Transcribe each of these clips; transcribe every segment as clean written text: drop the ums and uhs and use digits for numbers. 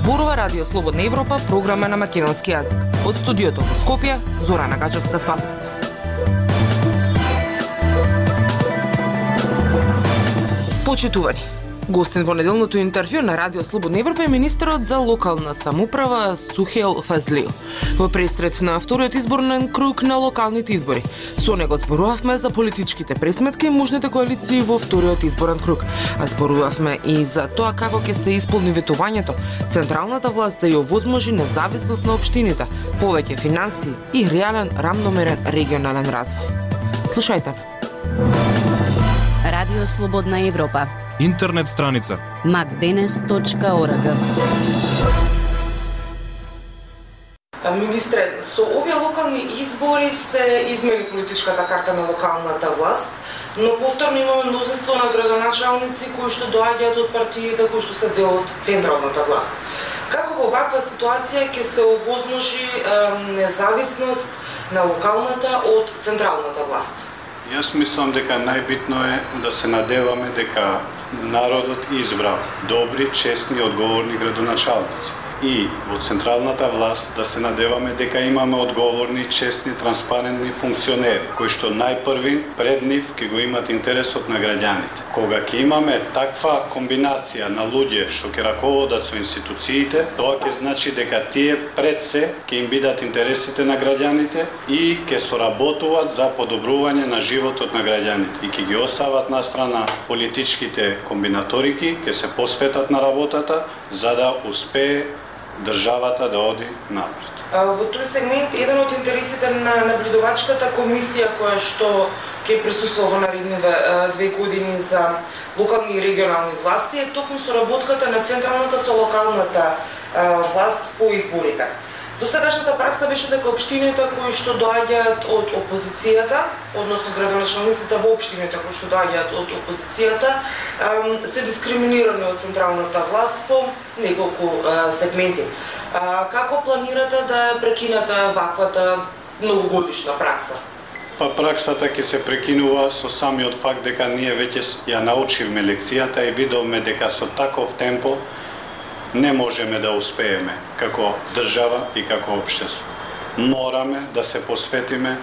Зборува Радио Слободна Европа, програма на македонски јазик. Од студиото во Скопје, Зорана Гаџевска-Спасовска. Почитувани, гостин во неделното интервју на Радио Слободна Европа е министерот за локална самоуправа Сухел Фазлиев во престрет на вториот изборен круг на локалните избори. Со него зборувавме за политичките пресметки и можните коалиции во вториот изборен круг, а зборувавме и за тоа како ќе се исполни ветувањето централната власт да ја овозможи независност на општините, повеќе финансии и реален рамномерен регионален развој. Слушајте. Радио Слободна Европа. Интернет страница macdenes.org. Министре, со овие локални избори се измени политичката карта на локалната власт, но повторно имаме мнозинство на градоначалници кои што доаѓаат од партиите кои што се дел од централната власт. Како во ваква ситуација ќе се овозможи независност на локалната од централната власт? Јас мислам дека најбитно е да се надеваме дека народот избрал добри, честни и одговорни градоначалници. И во централната власт да се надеваме дека имаме одговорни, честни, транспарентни функционери, кои што најпрви пред нив ќе го имат интересот на граѓаните. Кога ќе имаме таква комбинација на луѓе што ќе раководат со институциите, тоа ќе значи дека тие пред се ќе им бидат интересите на граѓаните и ќе соработуваат за подобрување на животот на граѓаните. И ќе ги остават на страна политичките комбинаторики, ќе се посветат на работата за да успее државата да оди напред. Во тој сегмент, еден од интересите на наблюдувачката комисија која што ќе присуствува во наредните 2 години за локални и регионални власти е токму соработката на централната со локалната власт по изборите. Досегашната пракса беше дека општините кои што доаѓаат од опозицијата, односно градоначалниците во општините кои што доаѓаат од опозицијата, се дискриминирани од централната власт по неколку сегменти. Како планирате да прекинете ваквата многогодишна пракса? Праксата ќе се прекинува со самиот факт дека ние веќе ја научивме лекцијата и видовме дека со таков темпо не можеме да успееме како држава и како општество. Мораме да се посветиме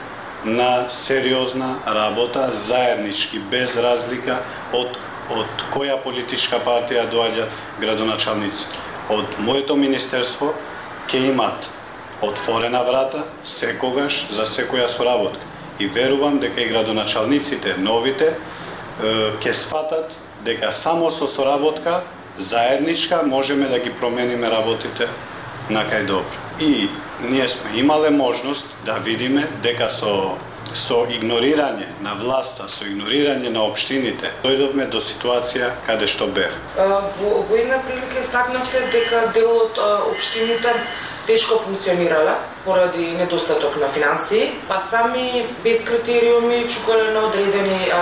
на сериозна работа, заеднички, без разлика од која политичка партија доаѓа градоначалници. Од моето министерство ќе имат отворена врата секогаш за секоја соработка. И верувам дека и градоначалниците новите ќе сфатат дека само со соработка заедничка можеме да ги промениме работите на кај добро. И ние сме имале можност да видиме дека со игнорирање на власта, со игнорирање на општините, дојдовме до ситуација каде што бев. Во една прилика истакнавте дека дел од општините тешко функционирала поради недостаток на финансии, па сами без критериуми чукале на одредени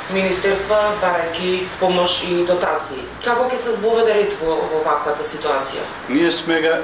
министерства барајќи помош и дотации. Како ќе се збоведе ред во ваквата ситуација? Ние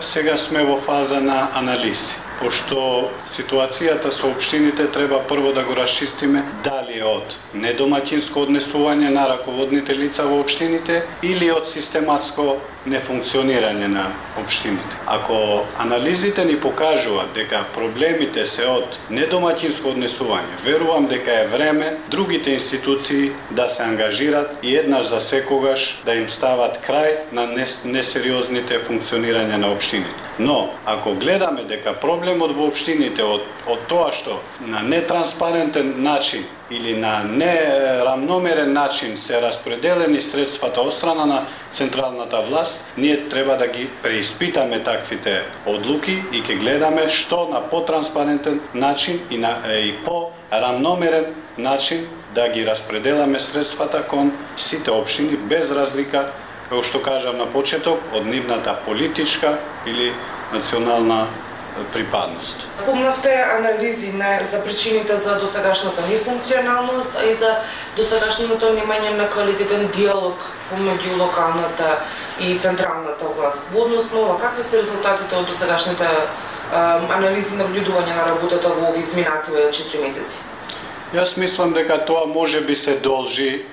сега сме во фаза на анализи, пошто ситуацијата со општините треба прво да го расчистиме дали е од недомаќинско однесување на раководните лица во општините или од систематско нефункционирање на општините. Ако анализите ни покажуваат дека проблемите се од недомаќинско однесување, верувам дека е време другите институции да се ангажират и еднаш за секогаш да им стават крај на несериозните функционирање на општините. Но, ако гледаме дека проблемот во општините од тоа што на нетранспарентен начин или на нерамномерен начин се распределени средствата од страна на централната власт, ние треба да ги преиспитаме таквите одлуки и ќе гледаме што на потранспарентен начин и по-рамномерен начин да ги распределаме средствата кон сите општини без разлика, како што кажам на почеток, од нивната политичка или национална припадност. Спомнавте анализи за причините за досегашната нефункционалност, а и за досегашното немање на квалитетен диалог помеѓу локалната и централната власт. Во однос на ова, какви се резултатите од досегашните анализи на наблюдување на работата во овие изминативе 4 месеци? Јас мислам дека тоа може би се должи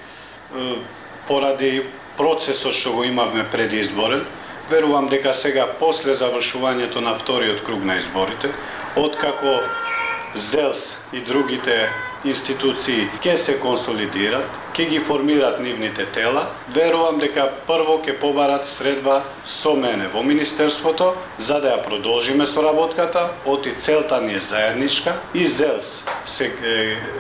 поради процесот што го имавме предизборен, Верувам дека сега, после завршувањето на вториот круг на изборите, откако ЗЕЛС и другите институции ќе се консолидират, ќе ги формират нивните тела, верувам дека прво ќе побарат средба со мене во Министерството, за да ја продолжиме соработката, оти целта ни е заедничка и ЗЕЛС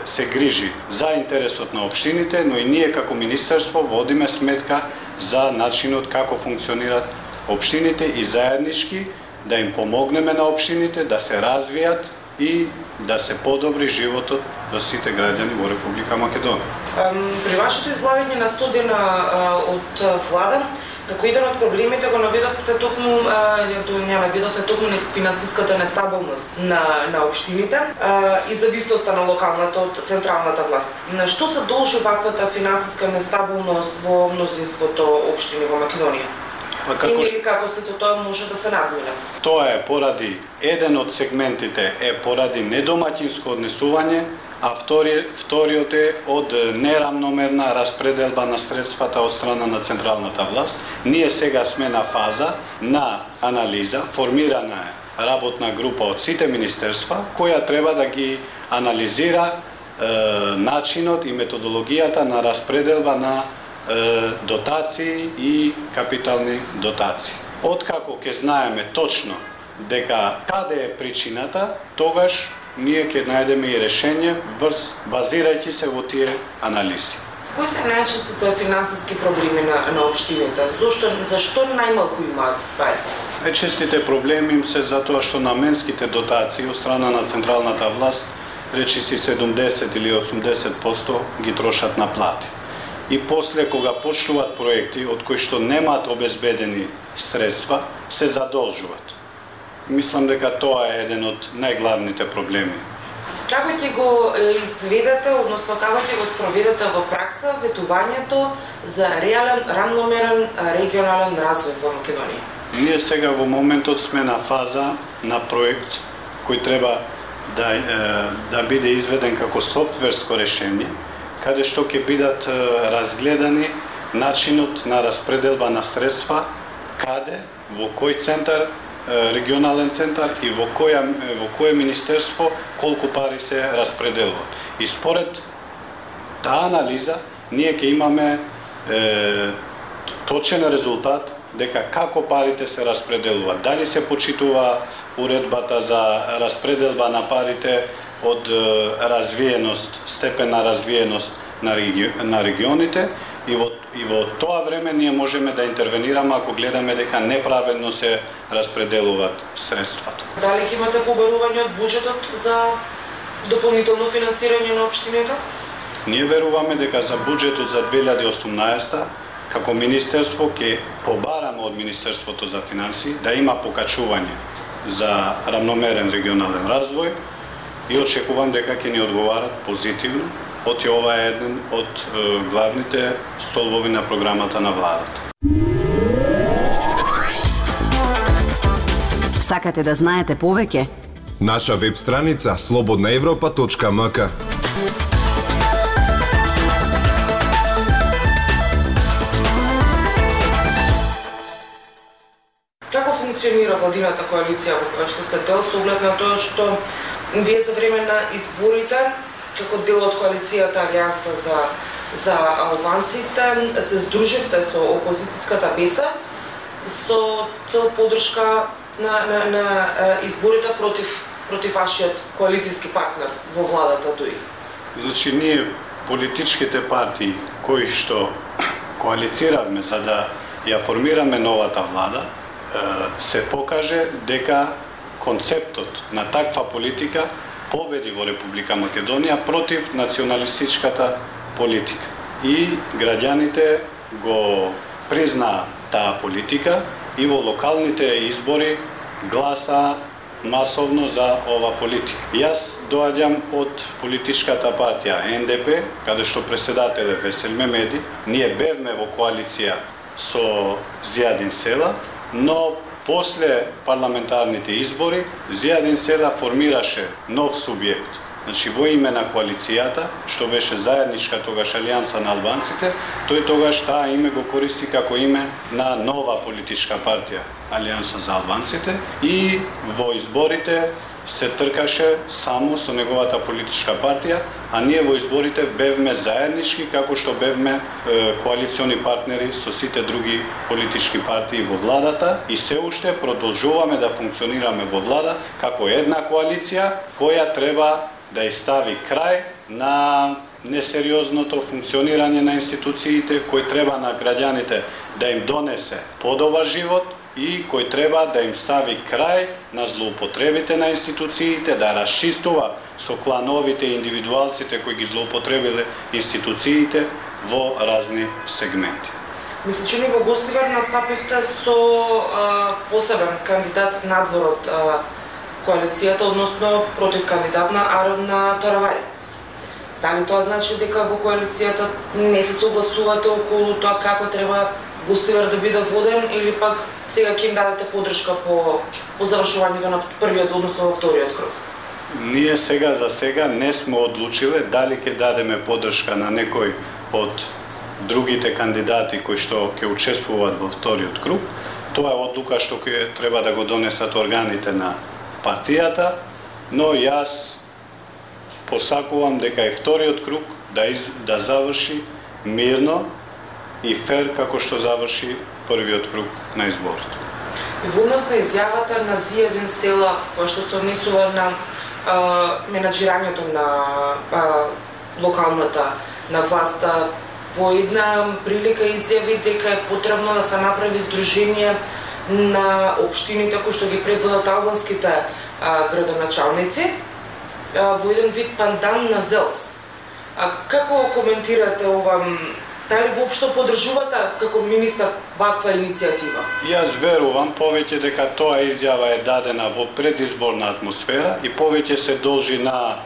се грижи за интересот на општините, но и ние како Министерство водиме сметка за начинот како функционират општините и заеднички да им помогнеме на општините да се развијат и да се подобри животот за сите граѓани во Република Македонија. При вашето излагање на студена од влада, како еден од проблемите го наведовте токму финансиската нестабилност на општините и зависноста на локалната од централната власт. На што се должи ваквата финансиска нестабилност во мнозинството општини во Македонија? Или како сето тоа може да се надмине? Тоа е поради, еден од сегментите е поради недомаќинско однесување, а вториот е од нерамномерна распределба на средствата од страна на централната власт. Ние сега сме на фаза на анализа, формирана е работна група од сите министерства, која треба да ги анализира начинот и методологијата на распределба на дотации и капитални дотации. Откако ќе знаеме точно дека каде е причината, тогаш ние ќе најдеме и решение базирајќи се во тие анализи. Кои се најчестите финансиски проблеми на општините? Зашто најмалку имаат пари? Најчестите проблеми им се затоа што наменските дотации од страна на централната власт, речиси 70 или 80% ги трошат на плати. И после, кога почнуваат проекти од кои што немаат обезбедени средства, се задолжуваат. Мислам дека тоа е еден од најглавните проблеми. Како ќе го изведете, односно како ќе го спроведете во пракса ветувањето за реален, рамномерен регионален развој во Македонија? Ние сега во моментот сме на фаза на проект кој треба да биде изведен како софтверско решение, каде што ќе бидат разгледани начинот на распределба на средства, каде, во кој центар, регионален центар и во кое министерство колку пари се распределуваат. И според таа анализа ние ќе имаме точен резултат дека како парите се распределуваат. Дали се почитува уредбата за распределба на парите од развиеност, степен на развиеност на регионите и во тоа време ние можеме да интервенираме ако гледаме дека неправедно се распределуваат средствата. Дали ќе имате побарување од буџетот за дополнително финансирање на општините? Ние веруваме дека за буџетот за 2018 како министерство ќе побараме од Министерството за финансии да има покачување за рамномерен регионален развој и очекувам дека ќе ни одговарат позитивно, оти ова е еден од главните столбови на програмата на владата. Сакате да знаете повеќе? Наша веб страница slobodnaevropa.mk. Како функционира владината коалиција во која што сте дел, со оглед на тоа што вие за време на изборите, како дел од коалицијата Алијанса за албанците, се здруживте со опозицијската беса со цел поддршка на изборите против вашиот коалицијски партнер во владата ДУИ. Значи, ние политичките партии кои што коалициравме за да ја формираме новата влада, се покаже дека концептот на таква политика победи во Република Македонија против националистичката политика. И граѓаните го признаа таа политика и во локалните избори гласа масовно за ова политика. Јас доаѓам од политичката партија НДП, каде што преседател е Весел Мемеди. Ние бевме во коалиција со Зијадин Села, но после парламентарните избори Зијадин Села формираше нов субјект Значи, во име на коалицијата, што беше заедничка тогаш Алијанса на албанците, тој тогаш таа име го користи како име на нова политичка партија, Алијанса за албанците, и во изборите се тркаше само со неговата политичка партија, а ние во изборите бевме заеднички, како што бевме коалициони партнери со сите други политички партии во владата, и се уште продолжуваме да функционираме во влада како една коалиција која треба да ја стави крај на несериозното функционирање на институциите, кој треба на граѓаните да им донесе подобар живот и кој треба да им стави крај на злоупотребите на институциите, да расчистува со клановите и индивидуалците кои ги злоупотребиле институциите во разни сегменти. Мисля, че ни во Гостивар настапивте со посебен кандидат надвор од коалицијата, односно против кандидат на Арон Таравари. Дали тоа значи дека во коалицијата не се согласувате околу тоа како треба Гостивар да биде воден, или пак сега ќе им дадете поддршка по завршувањето на првиот, односно во вториот круг? Ние сега за сега не сме одлучиле дали ќе дадеме поддршка на некој од другите кандидати кои што ќе учествуваат во вториот круг. Тоа е одлука што ќе треба да го донесат органите на партијата, но јас посакувам дека и вториот круг да заврши мирно и фер како што заврши првиот круг на изборите. И во однос на изјавата на Зијадин Села, која што се однесува на менаџирањето на локалната на власта, во една прилика изјави дека е потребно да се направи здружение на општините кои што ги предводат албанските градоначалници во еден вид пандан на ЗЕЛС. Како коментирате ова? Дали воопшто поддржувате како министар ваква иницијатива? Јас верувам повеќе дека тоа изјава е дадена во предизборна атмосфера и повеќе се должи на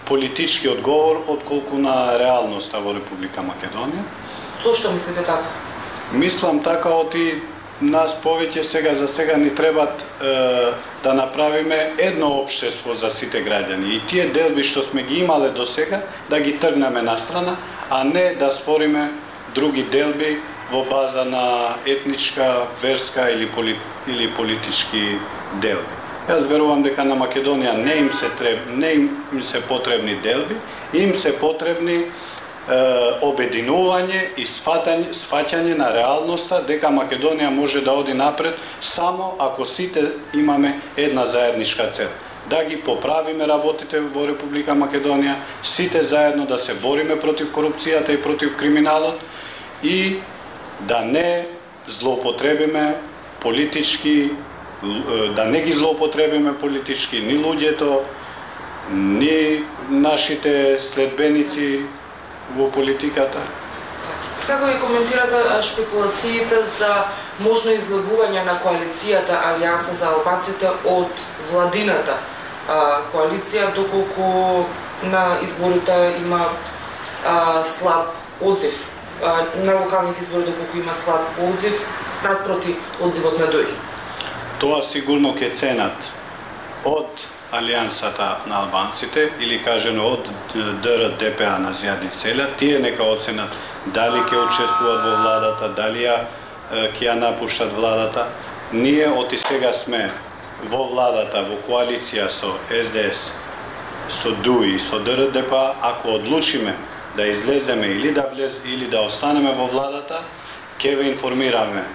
политички одговор отколку на реалноста во Република Македонија. Зошто мислите така? Мислам така, оти нас повеќе за сега ни требат да направиме едно општество за сите граѓани и тие делби што сме ги имале до сега да ги тргнеме настрана, а не да створиме други делби во база на етничка, верска или политички делби. Јас верувам дека на Македонија не им се потребни делби, им се потребни обединување и сфаќање на реалноста дека Македонија може да оди напред само ако сите имаме една заедничка цел. Да ги поправиме работите во Република Македонија, сите заедно да се бориме против корупцијата и против криминалот и да не злоупотребиме политички, да не ги злоупотребиме политички ни луѓето, ни нашите следбеници во политиката. Како ви коментирате шпекулациите за можно излегување на коалицијата Алијанса за албанците од владината коалиција, доколку на изборите има слаб одзив, на локалните избори доколку има слаб одзив, наспроти одзивот на ДОИ? Тоа сигурно ќе ценат од Алијансата на албанците или кажено од ДР-ДПА на Зијадин Села, тие нека оценат дали ќе учествуваат во владата, дали ќе ја напуштат владата. Ние од и сега сме во владата, во коалиција со СДС, со ДУИ и со ДР-ДПА. Ако одлучиме да излеземе или да останеме во владата, ќе ве информираме.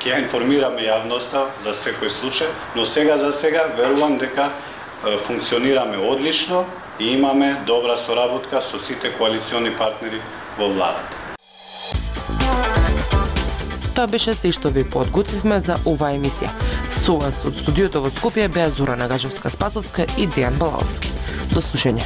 Ќе информираме јавноста за секој случај, но сега за сега верувам дека функционираме одлично и имаме добра соработка со сите коалициони партнери во владата. Тоа беше се што ви подготвивме за оваа емисија. Со вас од студиото во Скопје беа Зора Нагажевска-Спасовска и Дејан Балаовски. До слушање.